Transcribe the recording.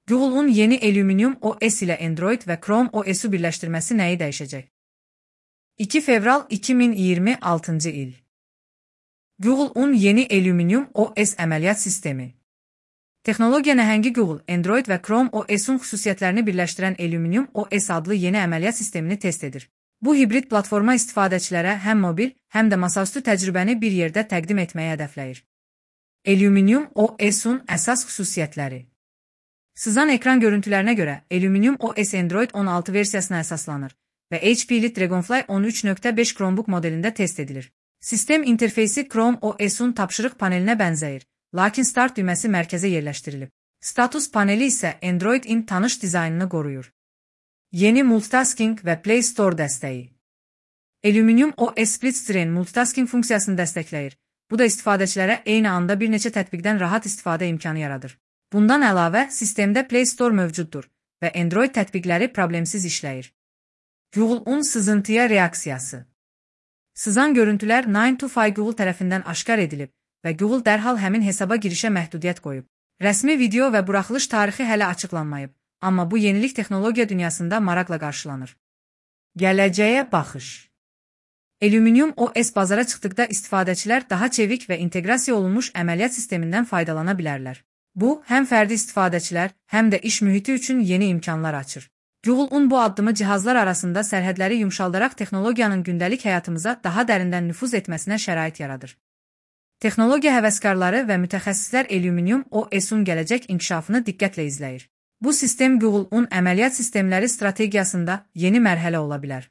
Google'un yeni Aluminium OS ile Android ve Chrome OS'u birleştirmesi neyi değişecek? 2 fevral 2026 il. Google'un yeni Aluminium OS əməliyyat sistemi. Texnologiya nəhəngi Google, Android və Chrome OS-un xüsusiyyətlərini birləşdirən Aluminium OS adlı yeni əməliyyat sistemini test edir. Bu hibrid platforma istifadəçilərə həm mobil, həm də masaüstü təcrübəni bir yerdə təqdim etməyi hədəfləyir. Aluminium OS-un əsas xüsusiyyətləri. Sızan ekran görüntülərinə görə Aluminium OS Android 16 versiyasına əsaslanır və HP-li Dragonfly 13.5 Chromebook modelində test edilir. Sistem interfeysi Chrome OS-un tapşırıq panelinə bənzəyir, lakin Start düyməsi mərkəzə yerləşdirilib. Status paneli isə Android-in tanış dizaynını qoruyur. Yeni multitasking və Play Store dəstəyi. Aluminium OS Split Screen multitasking funksiyasını dəstəkləyir. Bu da istifadəçilərə eyni anda bir neçə tətbiqdən rahat istifadə imkanı yaradır. Bundan əlavə, sistemdə Play Store mövcuddur və Android tətbiqləri problemsiz işləyir. Google'un sızıntıya reaksiyası. Sızan görüntülər 9to5 Google tərəfindən aşkar edilib və Google dərhal həmin hesaba girişə məhdudiyyət qoyub. Rəsmi video və buraxılış tarixi hələ açıqlanmayıb, amma bu yenilik texnologiya dünyasında maraqla qarşılanır. Gələcəyə baxış. Aluminium OS bazara çıxdıqda istifadəçilər daha çevik və inteqrasiya olunmuş əməliyyat sistemindən faydalana bilərlər. Bu, həm fərdi istifadəçilər, həm də iş mühiti üçün yeni imkanlar açır. Google'un bu addımı cihazlar arasında sərhədləri yumşaldaraq texnologiyanın gündəlik həyatımıza daha dərindən nüfuz etməsinə şərait yaradır. Texnologiya həvəskarları və mütəxəssislər Aluminium OS-un gələcək inkişafını diqqətlə izləyir. Bu sistem Google'un əməliyyat sistemləri strategiyasında yeni mərhələ ola bilər.